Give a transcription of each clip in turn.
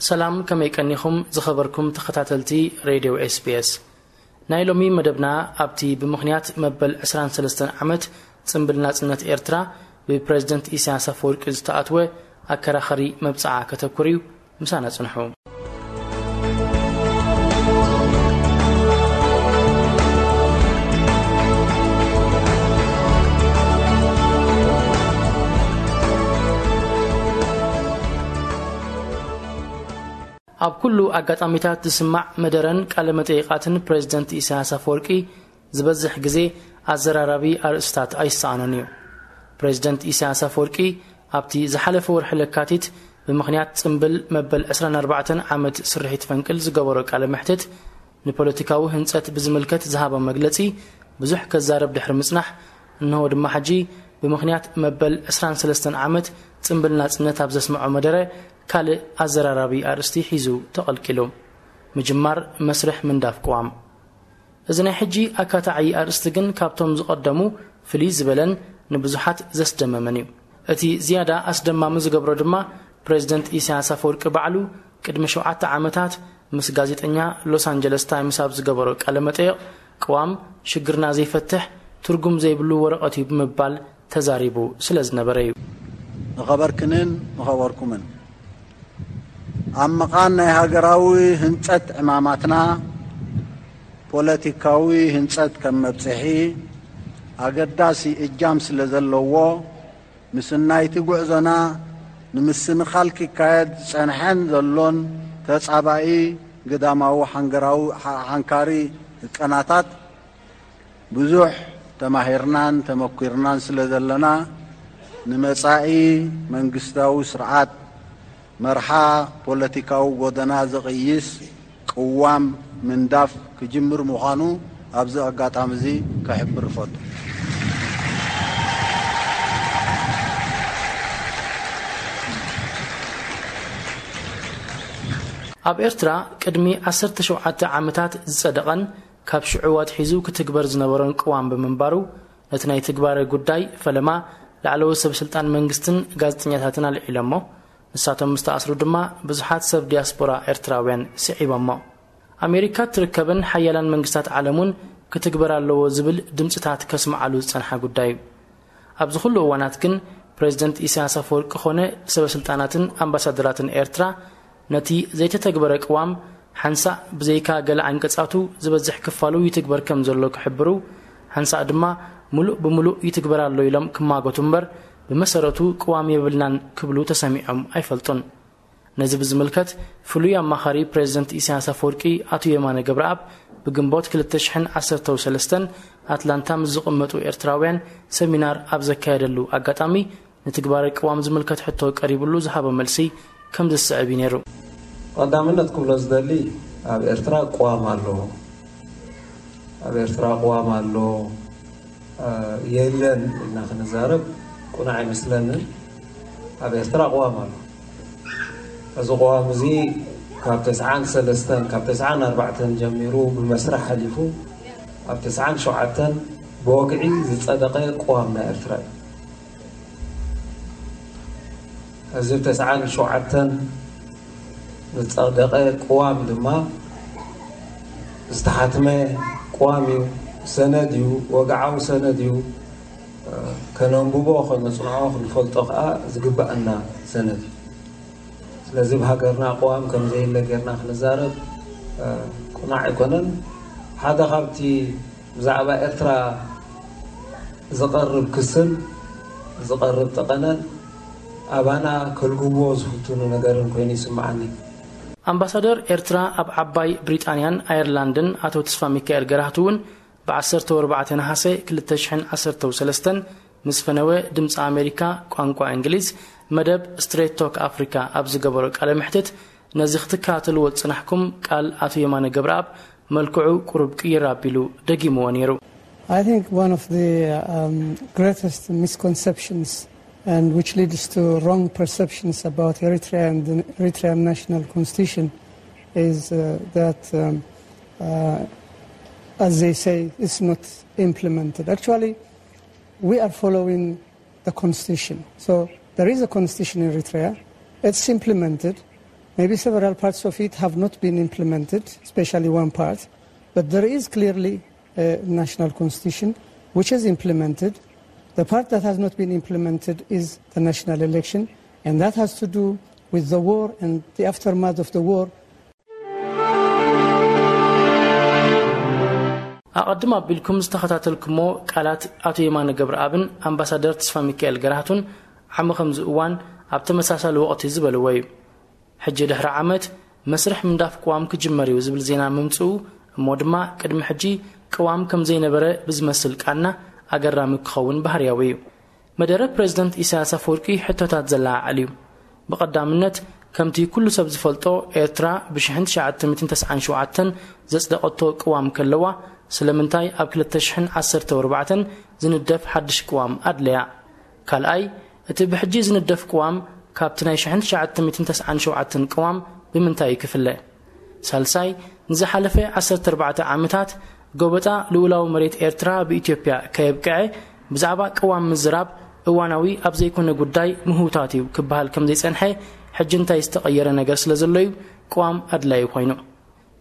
ሰላም፣ ከመይ ቀኒኹም ዝኸበርኩም ተኸታተልቲ ሬድዮ ኤስ ቢ ኤስ? ናይ ሎሚ መደብና ኣብቲ ብምኽንያት መበል ዕስራን ሰለስተን ዓመት ጽምብል ናጽነት ኤርትራ ብፕሬዝደንት ኢሳያስ ኣፈወርቂ ዝተኣትወ ኣከራኸሪ መብጽዓ ከተኩር እዩ። ምሳና ጽንሑ። ኣብ ኩሉ ኣጋጣሚታት ዝስማዕ መደረን ቃለ መጠይቓትን ፕሬዝደንት ኢሳያስ ኣፈወርቂ ዝበዝሕ ግዜ ኣዘራራቢ ኣርእስታት ኣይሰኣኖን እዩ። ፕሬዝደንት ኢሳያስ ኣፈወርቂ ኣብቲ ዝሓለፈ ወርሒ ለካቲት ብምኽንያት ጽምብል መበል ዕስራን ኣርባዕተን ዓመት ስርሒት ፈንቅል ዝገበሮ ቃለ መሕትት ንፖለቲካዊ ህንጸት ብዝምልከት ዝሃቦ መግለጺ ብዙሕ ከዛረብ ድሕሪ ምጽናሕ፣ እንሆ ድማ ሕጂ ብምኽንያት መበል ዕስራን ሰለስተን ዓመት ጽምብል ናጽነት ኣብ ዘስምዖ መደረ ካልእ ኣዘራራቢ ኣርእስቲ ሒዙ ተቐልቂሉ። ምጅማር መስርሕ ምንዳፍ ቅዋም። እዚ ናይ ሕጂ ኣካታዒ ኣርእስቲ ግን ካብቶም ዝቐደሙ ፍልይ ዝበለን ንብዙሓት ዘስደመመን እዩ። እቲ ዝያዳ ኣስደማሚ ዝገብሮ ድማ ፕሬዝደንት ኢሳያስ ኣፈወርቂ ባዕሉ ቅድሚ ሸውዓተ ዓመታት ምስ ጋዜጠኛ ሎስ ኣንጀለስ ታይምስ ኣብ ዝገበሮ ቃለ መጠይቕ ቅዋም ሽግርና ዘይፈትሕ ትርጉም ዘይብሉ ወረቐት እዩ ብምባል ተዛሪቡ ስለ ዝነበረ እዩ። ንኸበርክንን ንኸበርኩምን ኣብ መቓን ናይ ሃገራዊ ህንጸት ዕማማትና ፖለቲካዊ ህንጸት ከም መብጽሒ ኣገዳሲ እጃም ስለ ዘለዎ ምስናይቲ ጉዕዞና ንምስንኻል ክካየድ ዝጸንሐን ዘሎን ተጻባኢ ግዳማዊ ሓንገራዊ ሓ-፣ ሓንካሪ ህቀናታት ብዙሕ ተማሂርናን ተመኲርናን ስለ ዘለና ንመጻኢ መንግስታዊ ስርዓት መርሓ ፖለቲካዊ ጎደና ዝቕይስ ቅዋም ምንዳፍ ክጅምር ምዃኑ ኣብዚ ኣጋጣሚ እዚ ክሕብር እፈቱ። ኣብ ኤርትራ ቅድሚ ዓሰርተ ሸውዓተ ዓመታት ዝጸደቐን ካብ ሽዑ ኣትሒዙ ክትግበር ዝነበሮን ቅዋም ብምንባሩ፣ ነቲ ናይ ትግባረ ጉዳይ ፈለማ ላዕለዎት ሰብ ስልጣን መንግስትን ጋዜጠኛታትን ኣልዒሎሞ። ንሳቶም ምስ ተኣስሩ ድማ ብዙሓት ሰብ ዲያስፖራ ኤርትራውያን ስዒቦሞ። ኣሜሪካ እትርከበን ሓያላን መንግስታት ዓለም እውን ክትግበር ኣለዎ ዝብል ድምፅታት ከስምዓሉ ዝጸንሓ ጉዳይ እዩ። ኣብዚ ኩሉ እዋናት ግን ፕሬዝደንት ኢሳያስ ኣፈወርቂ ኾነ ሰበ ስልጣናትን ኣምባሳደራትን ኤርትራ ነቲ ዘይተተግበረ ቅዋም ሓንሳእ ብዘይካ ገለ ዓንቀጻቱ ዝበዝሕ ክፋሉ ይትግበር ከም ዘሎ ክሕብሩ፣ ሓንሳእ ድማ ምሉእ ብምሉእ ይትግበር ኣሎ ኢሎም ክማጎቱ እምበር ብመሰረቱ ቅዋም የብልናን ክብሉ ተሰሚዖም ኣይፈልጡን። ነዚ ብዝምልከት ፍሉይ ኣማኻሪ ፕሬዝደንት ኢሳያስ ኣፈወርቂ ኣቶ የማነ ገብረኣብ ብግንቦት ክልተ ሽሕን ዓሰርተው ሰለስተን ኣትላንታ ምስ ዝቕመጡ ኤርትራውያን ሰሚናር ኣብ ዘካየደሉ ኣጋጣሚ ንትግባረ ቅዋም ዝምልከት ሕቶ ቀሪብሉ ዝሃቦ መልሲ ከም ዝስዕብ እዩ ነይሩ። ቀዳምነት ክብሎ ዝደሊ ኣብ ኤርትራ ቅዋም ኣሎ። ኣብ ኤርትራ ቅዋም ኣሎ፣ እ፣ የለን ኢልና ክንዛረብ ቁኑዕ ኣይመስለንን። ኣብ ኤርትራ ቅዋም ኣሎ። እዚ ቅዋም እዚ ካብ ተስዓን ሰለስተን፣ ካብ ተስዓን ኣርባዕተን ጀሚሩ ብመስርሕ ሓሊፉ ኣብ ተስዓን ሸውዓተን ብወግዒ ዝጸደቐ ቅዋም ናይ ኤርትራ እዩ። እዚ ተስዓን ሸውዓተን ዝጸደቐ ቅዋም ድማ ዝተሓትመ ቅዋም እዩ፣ ሰነድ እዩ፣ ወግዓዊ ሰነድ እዩ። ከነንብቦ፣ ከነጽንዖ፣ ክንፈልጦ ከኣ ዝግበኣና ሰነድ እዩ። ስለዚ ብሃገርና ቅዋም ከም ዘየለ ጌርና ክንዛረብ፣ እ፣ ቅኑዕ ኣይኮነን። ሓደ ካብቲ ብዛዕባ ኤርትራ ዝቐርብ ክስን ዝቐርብ ጠቐነን ኣባና ከልግብዎ ዝፍትኑ ነገርን ኮይኑ ይስምዓኒ። ኣምባሳደር ኤርትራ ኣብ ዓባይ ብሪጣንያን ኣየርላንድን ኣቶ ተስፋ ሚካኤል ገራህቱ እውን ብዓሰርተ ኣርባዕተ ነሓሰ ክልተ ሽሕን ዓሰርተው ሰለስተን ምስ ፈነወ ድምፂ ኣሜሪካ ቋንቋ እንግሊዝ መደብ ስትሬት ቶክ ኣፍሪካ ኣብ ዝገበሮ ቃለ መሕትት ነዚ ክትከታተልዎ ዝፅናሕኩም ቃል ኣቶ የማነ ገብረኣብ መልክዑ ቁሩብ ቅይር ኣቢሉ ደጊምዎ ነይሩ። I think one of the um, greatest misconceptions and which leads to wrong perceptions about Eritrea and the Eritrean National Constitution is uh, that, um, uh, as they say, it's not implemented. Actually, we are following the constitution. So there is a constitution in Eritrea. It's implemented. Maybe several parts of it have not been implemented, especially one part, but there is clearly a national constitution which is implemented. The part that has not been implemented is the national election, and that has to do with the war and the aftermath of the war. ኣቐድም ኣቢልኩም ዝተኸታተልኩሞ ቃላት ኣቶ የማነ ገብረኣብን ኣምባሳደር ተስፋ ሚካኤል ገራህቱን ዓሚ ከምዚ እዋን ኣብ ተመሳሳሊ ወቕቲ ዝበልዎ እዩ። ሕጂ ድሕሪ ዓመት መስርሕ ምንዳፍ ቅዋም ክጅመር እዩ ዝብል ዜና ምምፅኡ እሞ ድማ ቅድሚ ሕጂ ቅዋም ከም ዘይነበረ ብዝመስል ቃና ኣገራሚ ክኸውን ባህርያዊ እዩ። መደረ ፕሬዝደንት ኢሳያስ ኣፈወርቂ ሕቶታት ዘለዓዕል እዩ። ብቐዳምነት ከምቲ ኩሉ ሰብ ዝፈልጦ ኤርትራ ብ1997 ዘጽደቐቶ ቅዋም ከለዋ ስለምንታይ ኣብ 2014 ዝንደፍ ሓድሽ ቅዋም ኣድለያ? ካልኣይ እቲ ብሕጂ ዝንደፍ ቅዋም ካብቲ ናይ 1997 ቅዋም ብምንታይ ክፍለ? ሳልሳይ ንዝሓለፈ 14 ዓመታት ጎበጣ ልኡላዊ መሬት ኤርትራ ብኢትዮጵያ ከየብቅዐ ብዛዕባ ቅዋም ምዝራብ እዋናዊ ኣብ ዘይኮነ ጉዳይ ምህውታት እዩ ክበሃል ከም ዘይጸንሐ ሕጂ እንታይ ዝተቐየረ ነገር ስለ ዘሎ እዩ ቅዋም ኣድላዩ ኮይኑ?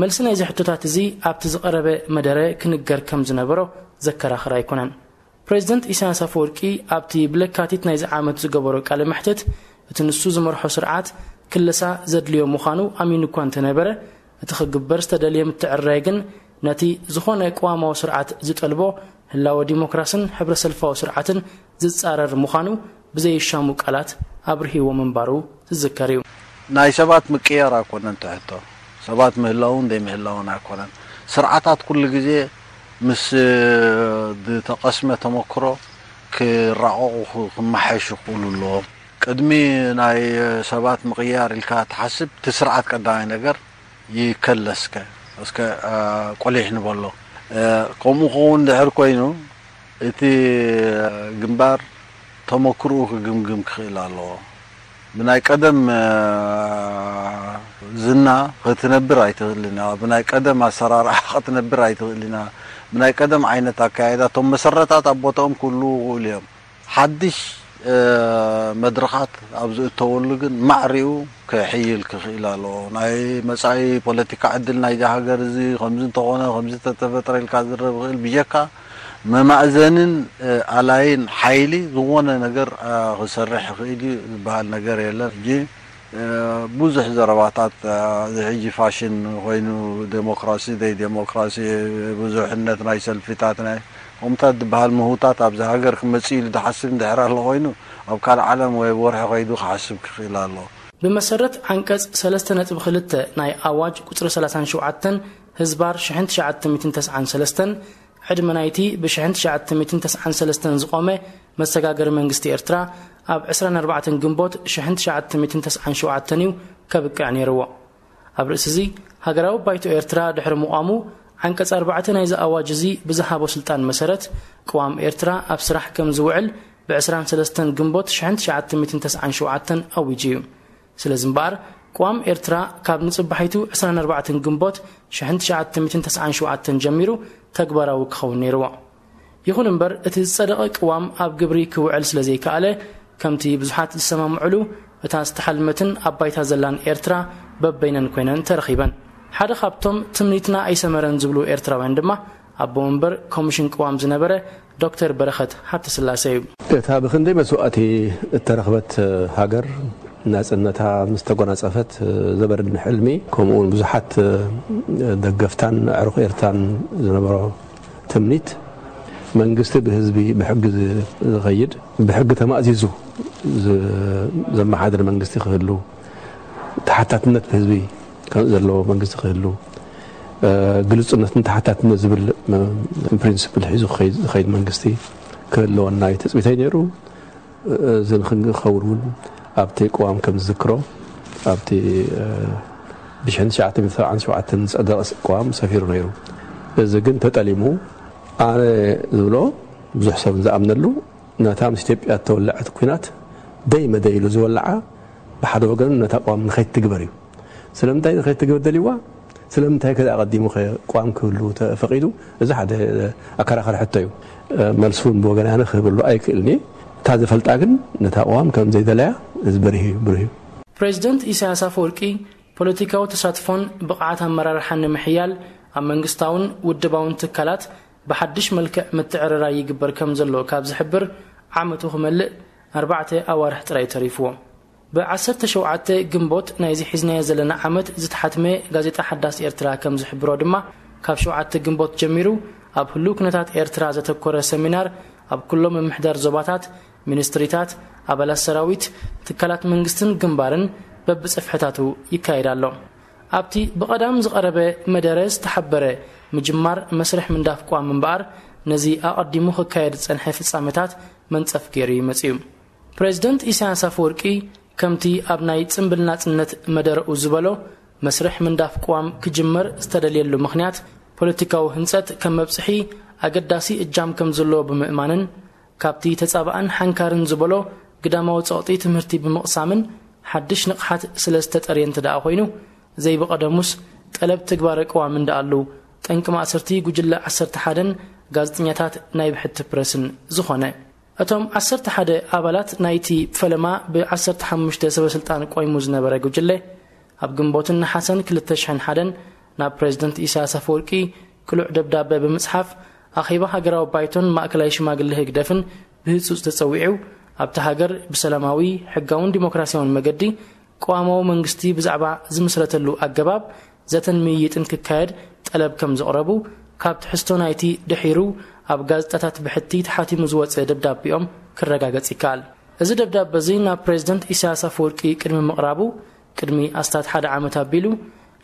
መልሲ ናይዚ ሕቶታት እዚ ኣብቲ ዝቐረበ መደረ ክንገር ከም ዝነበሮ ዘከራኽር ኣይኮነን። ፕሬዝደንት ኢሳያስ ኣፈወርቂ ኣብቲ ብለካቲት ናይዚ ዓመት ዝገበሮ ቃለ መሕትት እቲ ንሱ ዝመርሖ ስርዓት ክለሳ ዘድልዮ ምዃኑ ኣሚኑ እኳ እንተነበረ እቲ ክግበር ዝተደልየ ምትዕርራይ ግን ነቲ ዝኾነ ቅዋማዊ ስርዓት ዝጠልቦ ህላወ ዲሞክራስን ሕብረ ሰልፋዊ ስርዓትን ዝጻረር ምዃኑ ብዘይሻሙ ቃላት ኣብርሂዎ ምንባሩ ዝዝከር እዩ። ናይ ሰባት ምቅያር ኣይኮነን ትሕቶ። ሰባት ምህላውን ዘይምህላውን ኣይኮነን። ስርዓታት ኩሉ ግዜ ምስ ዝተቐስመ ተመክሮ ክራቐቑ ክመሓየሹ ክኽእሉ ኣለዎም። ቅድሚ ናይ ሰባት ምቕያር ኢልካ ትሓስብ እቲ ስርዓት ቀዳማይ ነገር ይከለስከ እስከ ቆሊሕ ንበሎ። ከምኡ ክኸውን ድሕር ኮይኑ እቲ ግንባር ተመክርኡ ክግምግም ክኽእል ኣለዎ። ብናይ ቀደም ዝና ክትነብር ኣይትኽእልን ኢኻ። ብናይ ቀደም ኣሰራርሓ ክትነብር ኣይትኽእልን ኢኻ። ብናይ ቀደም ዓይነት ኣካያይዳ እቶም መሰረታት ኣብ ቦታኦም ክህልዉ ይኽእሉ እዮም። ሓድሽ መድረኻት ኣብ ዝእተወሉ ግን ማዕሪኡ ክሕይል ክኽእል ኣለዎ። ናይ መጻኢ ፖለቲካ ዕድል ናይዚ ሃገር እዚ ከምዚ እንተኾነ ከምዚ ተተፈጥረ ኢልካ ዝረብ ይኽእል ብጀካ መማእዘንን ኣላይን ሓይሊ ዝኾነ ነገር ክሰርሕ ይኽእል እዩ ዝበሃል ነገር የለን። ሕጂ ብዙሕ ዘረባታት እዚ ሕጂ ፋሽን ኮይኑ ዴሞክራሲ ደይ ዴሞክራሲ ብዙሕነት ናይ ሰልፊታት ናይ ከምታት ዝበሃል ምህውታት ኣብዚ ሃገር ክመጽእ ኢሉ ዝሓስብ እንድሕር ኣሎ ኮይኑ ኣብ ካልእ ዓለም ወይ ወርሒ ከይዱ ክሓስብ ክኽእል ኣሎ። ብመሰረት ዓንቀጽ 3.2 ናይ ኣዋጅ ቁጽሪ 37 ህዝባር 1993 ዕድመ ናይቲ ብ1993 ዝቖመ መሰጋገሪ መንግስቲ ኤርትራ ኣብ 24 ግንቦት 1997 እዩ ከብቅዕ ነይርዎ። ኣብ ርእሲ እዚ ሃገራዊ ባይቶ ኤርትራ ድሕሪ ምቋሙ ዓንቀጽ ኣርባዕተ ናይዚ ኣዋጅ እዚ ብዝሃቦ ስልጣን መሰረት ቅዋም ኤርትራ ኣብ ስራሕ ከም ዝውዕል ብ23 ግንቦት 1997 ኣዊጁ እዩ። ስለዚ እምበኣር ቅዋም ኤርትራ ካብ ንጽባሒቱ 24 ግንቦት 1997 ጀሚሩ ተግባራዊ ክኸውን ነይርዎ። ይኹን እምበር እቲ ዝጸደቐ ቅዋም ኣብ ግብሪ ክውዕል ስለ ዘይከኣለ ከምቲ ብዙሓት ዝሰማምዕሉ እታ ዝተሓልመትን ኣብ ባይታ ዘላን ኤርትራ በበይነን ኮይነን ተረኺበን። ሓደ ካብቶም ትምኒትና ኣይሰመረን ዝብሉ ኤርትራውያን ድማ ኣቦ መንበር ኮሚሽን ቅዋም ዝነበረ ዶክተር በረኸት ሃብተስላሴ እዩ። እታ ብኽንደይ መስዋእቲ እተረኽበት ሃገር ናጽነታ ምስ ተጎናጸፈት ዘበርድን ሕልሚ ከምኡውን ብዙሓት ደገፍታን ኣዕሩኽ ኤርትራን ዝነበሮ ትምኒት መንግስቲ ብህዝቢ ብሕጊ ዝኸይድ ብሕጊ ተማእዚዙ ዘመሓድር መንግስቲ ክህሉ ተሓታትነት ብህዝቢ ዘለዎ መንግስቲ ክህሉ ግልፁነትን ተሓታትነት ዝብል ፕሪንስፕል ሒዙ ዝኸይድ መንግስቲ ክህልወና እዩ ትፅቢተይ ነይሩ። እዚ ንክንከውን እውን ኣብቲ ቅዋም ከም ዝዝክሮ ኣብቲ ብ1977 ዝፀደቐ ቅዋም ሰፊሩ ነይሩ። እዚ ግን ተጠሊሙ ኣነ ዝብሎ ብዙሕ ሰብ ዝኣምነሉ ነታ ምስ ኢትዮጵያ እተወለዐት ኲናት ደይ መደይ ኢሉ ዝወለዓ ብሓደ ወገን ነታ ቅዋም ንኸይትግበር እዩ። ስለምንታይ ንኸይትግበር ደልይዋ? ስለምንታይ ከ ኣቐዲሙ ከ ቅዋም ክህሉ ተፈቒዱ? እዚ ሓደ ኣከራኻሪ ሕቶ እዩ። መልሲ እውን ብወገን ኣነ ክህበሉ ኣይክእልን እየ። እታ ዝፈልጣ ግን ነታ ቅዋም ከም ዘይደለያ እዚ በሪህ እዩ፣ ብሩህ እዩ። ፕሬዚደንት ኢሳያስ ኣፈወርቂ ፖለቲካዊ ተሳትፎን ብቕዓት ኣመራርሓን ንምሕያል ኣብ መንግስታውን ውድባውን ትካላት ብሓድሽ መልክዕ ምትዕርራይ ይግበር ከም ዘሎ ካብ ዝሕብር ዓመቱ ክመልእ ኣርባዕተ ኣዋርሕ ጥራይ ተሪፍዎ። ብ17 ግንቦት ናይዚ ሒዝናዮ ዘለና ዓመት ዝተሓትመ ጋዜጣ ሓዳስ ኤርትራ ከም ዝሕብሮ ድማ፣ ካብ ሸውዓተ ግንቦት ጀሚሩ ኣብ ህሉው ኩነታት ኤርትራ ዘተኮረ ሰሚናር ኣብ ኩሎም ምምሕዳር ዞባታት፣ ሚኒስትሪታት፣ ኣባላት ሰራዊት፣ ትካላት መንግስትን ግንባርን በብጽፍሕታቱ ይካየድ ኣሎ። ኣብቲ ብቐዳም ዝቐረበ መደረ ዝተሓበረ ምጅማር መስርሕ ምንዳፍ ቅዋም እምበኣር፣ ነዚ ኣቐዲሙ ክካየድ ዝጸንሐ ፍጻመታት መንጸፍ ገይሩ እዩ መጺኡ። ፕሬዚደንት ኢሳያስ ኣፈወርቂ፣ ከምቲ ኣብ ናይ ጽምብል ናጽነት መደረኡ ዝበሎ፣ መስርሕ ምንዳፍ ቅዋም ክጅመር ዝተደልየሉ ምኽንያት፣ ፖለቲካዊ ህንጸት ከም መብጽሒ ኣገዳሲ እጃም ከም ዘለዎ ብምእማንን፣ ካብቲ ተጻባእን ሓንካርን ዝበሎ ግዳማዊ ጸቕጢ ትምህርቲ ብምቕሳምን ሓድሽ ንቕሓት ስለ ዝተጠርየ እንተ ደኣ ኮይኑ፣ ዘይብቐደሙስ ጠለብ ትግባረ ቅዋም እንደኣሉ ጠንቂ ማእሰርቲ ጉጅለ ዓሰርተ ሓደን ጋዜጠኛታት ናይ ብሕቲ ፕረስን ዝኾነ። እቶም ዓሰርተ ሓደ ኣባላት ናይቲ ፈለማ ብ15 ሰበ ስልጣን ቆይሙ ዝነበረ ጉጅለ፣ ኣብ ግንቦትን ነሓሰን ክልተ ሽሕን ሓደን ናብ ፕሬዚደንት ኢሳያስ ኣፈወርቂ ቅሉዕ ደብዳበ ብምጽሓፍ፣ ኣኼባ ሃገራዊ ባይቶን ማእከላይ ሽማግለ ህግደፍን ብህጹጽ ተጸዊዑ፣ ኣብታ ሃገር ብሰላማዊ፣ ሕጋውን ዲሞክራሲያውን መገዲ ቅዋማዊ መንግስቲ ብዛዕባ ዝምስረተሉ ኣገባብ ዘተን ምይይጥን ክካየድ ጠለብ ከም ዘቕረቡ፣ ካብ ትሕዝቶ ናይቲ ድሒሩ ኣብ ጋዜጣታት ብሕቲ ተሓቲሙ ዝወጸ ደብዳቤኦም ክረጋገጽ ይከኣል። እዚ ደብዳበ እዚ ናብ ፕሬዚደንት ኢሳያስ ኣፈወርቂ ቅድሚ ምቕራቡ፣ ቅድሚ ኣስታት ሓደ ዓመት ኣቢሉ፣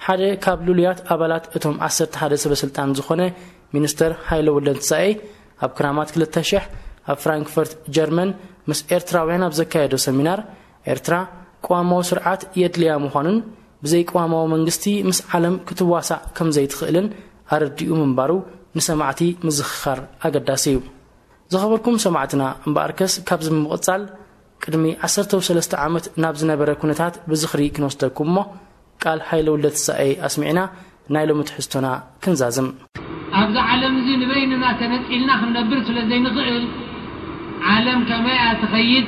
ሓደ ካብ ልሉያት ኣባላት እቶም ዓሰርተ ሓደ ሰበ ስልጣን ዝኾነ ሚኒስተር ሃይለ ወልደትንሳኤ፣ ኣብ ክራማት ክልተ ሽሕ ኣብ ፍራንክፈርት ጀርመን ምስ ኤርትራውያን ኣብ ዘካየዶ ሰሚናር፣ ኤርትራ ቅዋማዊ ስርዓት የድልያ ምዃኑን ብዘይ ቅዋማዊ መንግስቲ ምስ ዓለም ክትዋሳእ ከም ዘይትኽእልን ኣረዲኡ ምንባሩ ንሰማዕቲ ምዝኽኻር ኣገዳሲ እዩ። ዝኸበርኩም ሰማዕትና፣ እምበኣርከስ ካብዚ ብምቕጻል፣ ቅድሚ ዓሰርተ ሰለስተ ዓመት ናብ ዝነበረ ኩነታት ብዝኽሪ ክንወስደኩም እሞ፣ ቃል ሃይለ ውልደትንሳኤ ኣስሚዕና ናይ ሎሚ ትሕዝቶና ክንዛዝም። ኣብዚ ዓለም እዚ ንበይንና ተነጺልና ክንነብር ስለ ዘይንኽእል፣ ዓለም ከመይ እያ ትኸይድ፣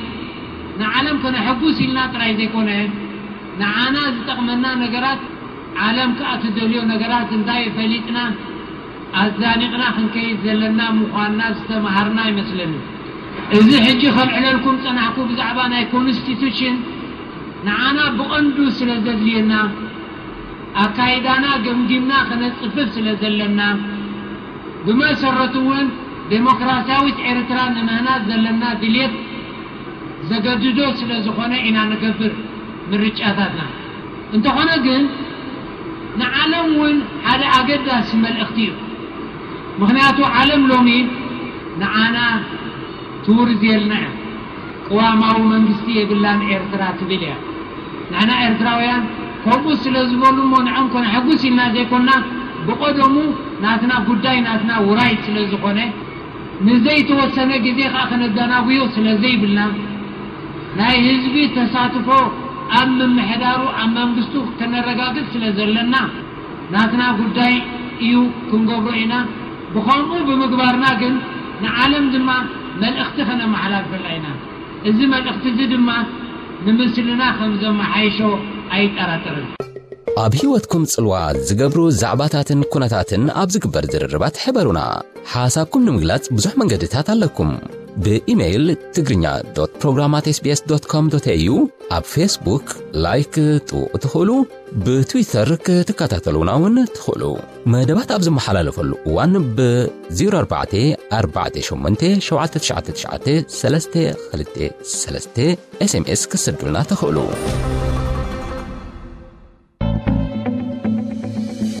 ንዓለም ከነሐጉስ ኢልና ጥራይ ዘይኮነ፣ ንዓና ዝጠቕመና ነገራት፣ ዓለም ከኣ ትደልዮ ነገራት እንታይ ፈሊጥና፣ ኣዛኒቕና ክንከይድ ዘለና ምዃንና ዝተምሃርና ይመስለኒ። እዚ ሕጂ ከልዕለልኩም ጸናሕኩ ብዛዕባ ናይ ኮንስቲቱሽን ንዓና ብቐንዱ ስለ ዘድልየና፣ ኣካይዳና ገምጊምና ከነጽፍፍ ስለ ዘለና፣ ብመሰረቱ እውን ዴሞክራሲያዊት ኤርትራ ንምህናጽ ዘለና ድልየት ዘገድዶ ስለ ዝኾነ ኢና ንገብር ምርጫታትና። እንተኾነ ግን ንዓለም እውን ሓደ ኣገዳሲ መልእኽቲ እዩ። ምኽንያቱ ዓለም ሎሚ ንዓና ትውርዝየልና እያ። ቅዋማዊ መንግስቲ የብላን ኤርትራ ትብል እያ። ንሕና ኤርትራውያን ከምኡ ስለ ዝበሉ እሞ ንዕኦም ከነሐጉስ ኢልና ዘይኮንና፣ ብቐደሙ ናትና ጉዳይ ናትና ውራይ ስለ ዝኾነ፣ ንዘይተወሰነ ግዜ ከኣ ከነደናጉዮ ስለ ዘይብልና፣ ናይ ህዝቢ ተሳትፎ ኣብ ምምሕዳሩ፣ ኣብ መንግስቱ ከነረጋግጽ ስለ ዘለና፣ ናትና ጉዳይ እዩ፣ ክንገብሮ ኢና። ብኸምኡ ብምግባርና ግን ንዓለም ድማ መልእኽቲ ከነመሓላልፈላ ኢና። እዚ መልእኽቲ እዚ ድማ ንምስልና ከም ዘመሓይሾ ኣይጠራጠርን። ኣብ ህይወትኩም ጽልዋ ዝገብሩ ዛዕባታትን ኩነታትን ኣብ ዝግበር ዝርርባት ሕበሩና። ሓሳብኩም ንምግላጽ ብዙሕ መንገድታት ኣለኩም። ብኢሜይል ትግርኛ ዶት ፕሮግራም ኣት ኤስ ቢ ኤስ ዶት ኮም ዶት ኤ ዩ፣ ኣብ ፌስቡክ ላይክ ክትጥውቑ ትኽእሉ፣ ብትዊተር ክትከታተሉና እውን ትኽእሉ። መደባት ኣብ ዝመሓላለፈሉ እዋን ብ ዜሮ ኣርባዕተ ኣርባዕተ ሸሞንተ ሸውዓተ ትሽዓተ ትሽዓተ ሰለስተ ክልተ ሰለስተ ኤስ ኤም ኤስ ክትሰዱልና ትኽእሉ።